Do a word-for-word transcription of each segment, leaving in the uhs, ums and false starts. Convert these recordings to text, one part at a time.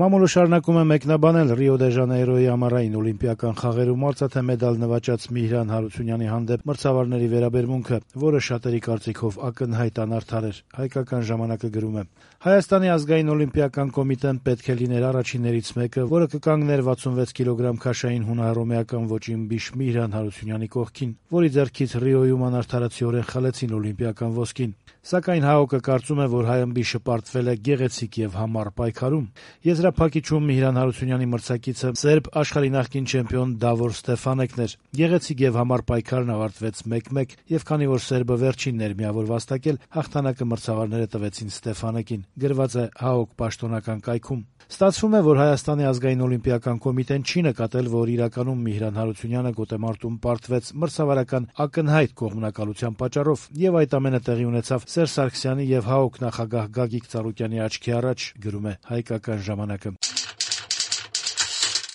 Մամուլը շարունակում է մեկնաբանել Ռիո դե Ժանեյրոյի ամառային օլիմպիական խաղերում արծաթե մեդալ նվաճած Միհրան Հարությունյանի հանդեպ մրցավարների վերաբերմունքը, որը շատերի կարծիքով ակնհայտ անարդար էր, հայկական ժամանակը գրում է. Հայաստանի ազգային օլիմպիական կոմիտեն պետք է լիներ առաջիններից մեկը, որը կկանգներ վաթսունվեց կիլոգրամ քաշային հունահռոմեական ոճին բիշ Միհրան Հարությունյանի կողքին, որի ձեռքից Ռիոյում անարդարացիորեն խլեցին օլիմպիական ոսկին։ Սակայն ՀԱՕԿ-ը կարծում է, որ հայ ըմբիշը պարտվել է գեղեցիկ եւ համառ պայքարում։ Եզրափակիչում Միհրան Հարությունյանի մրցակիցը սերբ աշխարհի նախկին չեմպիոն Դավոր Ստեֆանեկն էր։ Գեղեցիկ եւ համառ պայքարն ավարտվեց մեկ մեկ, եւ քանի որ սերբը վերջինն էր միավոր վաստակել, հաղթանակը մրցավարները տվեցին Ստեֆանեկին։ Գրված է ՀԱՕԿ պաշտոնական կայքում։ Ստացվում է, որ Հայաստանի ազգային օլիմպիական կոմիտեն չի նկատել, որ իրականում Միհրան Հարությունյանը գոտեմարտում պարտվեց մրցավարական ակնհայտ կողմնակալության պատճառով, եւ այդ ամենը տեղի ունեցավ Սերժ Սարգսյանի եւ ՀԱՕԿ նախագահ Գագիկ Ծառուկյանի աչքի առաջ, գրում է Հայկական ժամանակը։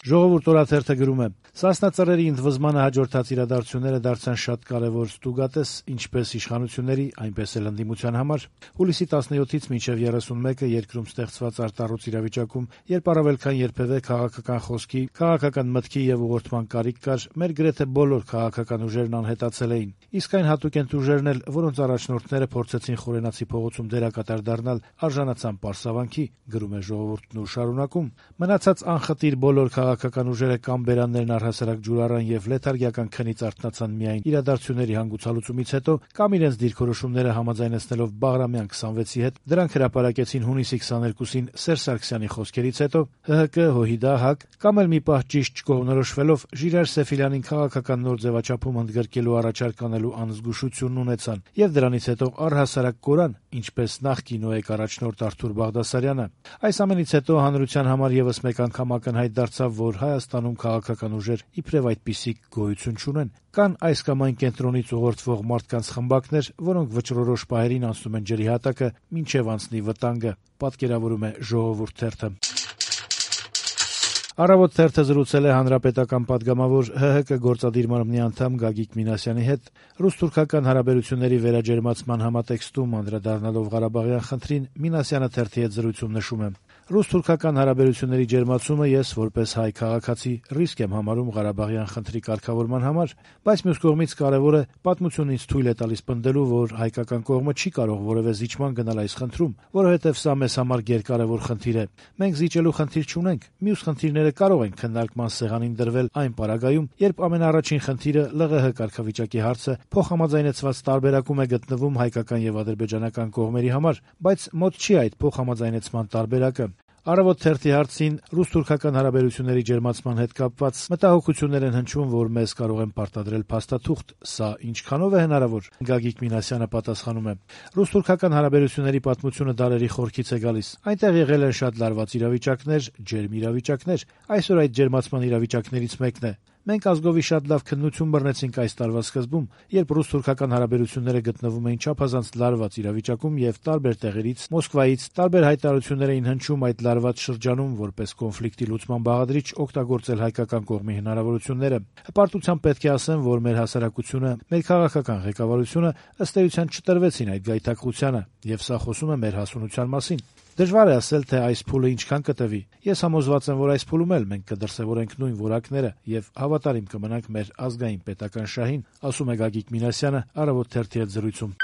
Ժողովուրդ օրաթերթը գրում է. Սասնա ծռերի ընդվզմանը հաջորդած իրադարձությունները դարձան շատ կարևոր ստուգատես ինչպես իշխանությունների, այնպես էլ ընդդիմության համար։ Հուլիսի տասնյոթից մինչև երեսունմեկը երկրում ստեղծված արտառոց իրավիճակում, երբ առավել քան երբևէ քաղաքական խոսքի, քաղաքական մտքի եւ ուղղորդման կարիք կար, մեր գրեթե բոլոր քաղաքական ուժերն անհետացել էին։ Իսկ այն հատուկենտ ուժերն էլ, որոնց առաջնորդները փորձեցին Խորենացի փողոցում դերակատար դառնալ, արժանացան պարսավանքի, գրում է Ժողովուրդն ու շարունակում. Մնացած անխտիր բոլոր քաղաքական ուժերը կամ բերաններն առհասարակ ջուրառան եւ լեթարգիական քնից արթնացան միայն իրադարձությունների հանգուցալուծումից հետո, կամ իրենց դիրքորոշումները համաձայնեցնելով Բաղրամյան քսանվեցի հետ, դրանք հրապարակեցին հունիսի քսաներկուսին Սերժ Սարգսյանի խոսքերից հետո, ՀՀԿ, ՀՅԴ, ՀԱԿ, կամ էլ մի պահ ճիշտ չկողմնորոշվելով Ժիրայր Սեֆիլյանին քաղաքական նոր ձևաչափում ընդգրկելու առաջարկ անելու անզգուշությունն ունեցան, եւ դրանից հետո առհասարակ կորան, ինչպես նախկին ՕԵԿ առաջնորդ Արթուր Բաղդասարյանը։ Այս ամենից հետո հանրության համար եւս մեկ անգամ ակնհայտ դարձավ, որ Հայաստանում քաղաքական ուժեր իբրև այդպիսի գոյություն չունեն։ Կան այս կամ այն կենտրոնից ուղղորդվող մարդկանց խմբակներ, որոնք վճռորոշ պահերին անցնում են ջրի հատակը, մինչև անցնի վտանգը, պատկերավորում է Ժողովուրդ թերթը։ Առավոտ թերթը զրուցել է հանրապետական պատգամավոր ՀՀԿ գործադիր մարմնի անդամ Գագիկ Մինասյանի հետ ռուս-թուրքական հարաբերությունների վերաջերմացման համատեքստում անդրադառնալով Ղարաբաղյան խնդրին, Մինասյանը թերթի հետ զրույցում նշում է. Ռուս-թուրքական հարաբերությունների ջերմացումը ես որպես հայ քաղաքացի ռիսկ եմ համարում Ղարաբաղյան խնդրի կարգավորման համար, բայց մյուս կողմից կարևոր է պատմությունն ինձ թույլ է տալիս պնդելու, որ հայկական կողմը չի կարող որևէ զիջման գնալ այս խնդրում, որովհետև սա մեզ համար գերկարևոր խնդիր է։ Մենք զիջելու խնդիր չունենք, մյուս խնդիրները կարող են քննարկման սեղանին դրվել այն պարագայում, երբ ամենաառաջին խնդիրը ԼՂՀ կարգավիճակի հարցը փոխհամաձայնեցված տարբերակում է գտնվում հայկական եւ ադրբեջանական կողմերի համար, բայց մոտ չի այդ փոխհամաձայնեցման տարբերակը։ Առավոտ թերթի հարցին ռուս-թուրքական հարաբերությունների ջերմացման հետ կապված մտահոգություններ են հնչում, որ մեզ կարող են պարտադրել փաստաթուղթ, սա ինչքանով է հնարավոր։ Գագիկ Մինասյանը պատասխանում է. Ռուս-թուրքական հարաբերությունների պատմությունը դարերի խորքից է գալիս։ Այնտեղ եղել են շատ լարված իրավիճակներ, ջերմ իրավիճակներ, այսօր այդ ջերմացման իրավիճակներից մեկն է։ Մենք ազգովի շատ լավ քննություն բռնեցինք այս տարվա սկզբում, երբ ռուս-թուրքական հարաբերությունները գտնվում էին չափազանց լարված իրավիճակում եւ տարբեր տեղերից, Մոսկվայից տարբեր հայտարարություններ էին հնչում այդ լարված շրջանում որպես կոնֆլիկտի լուծման բաղադրիչ օգտագործել հայկական կողմի հնարավորությունները։ Հպարտությամբ պետք է ասեմ, որ մեր հասարակությունը, մեր քաղաքական ղեկավարությունը ըստ էության չտրվեցին այդ գայթակղությանը, եւ սա խոսում է մեր հասունության մասին։ Դժվար է ասել, թե այս փուլը ինչքան կտևի։ Ես համոզված եմ, որ այս փուլում էլ մենք կդրսևորենք նույն որակները եւ հավատարիմ կմնանք մեր ազգային պետական շահին, ասում է Գագիկ Մինասյանը Առավոտ թերթի հետ զրույցում։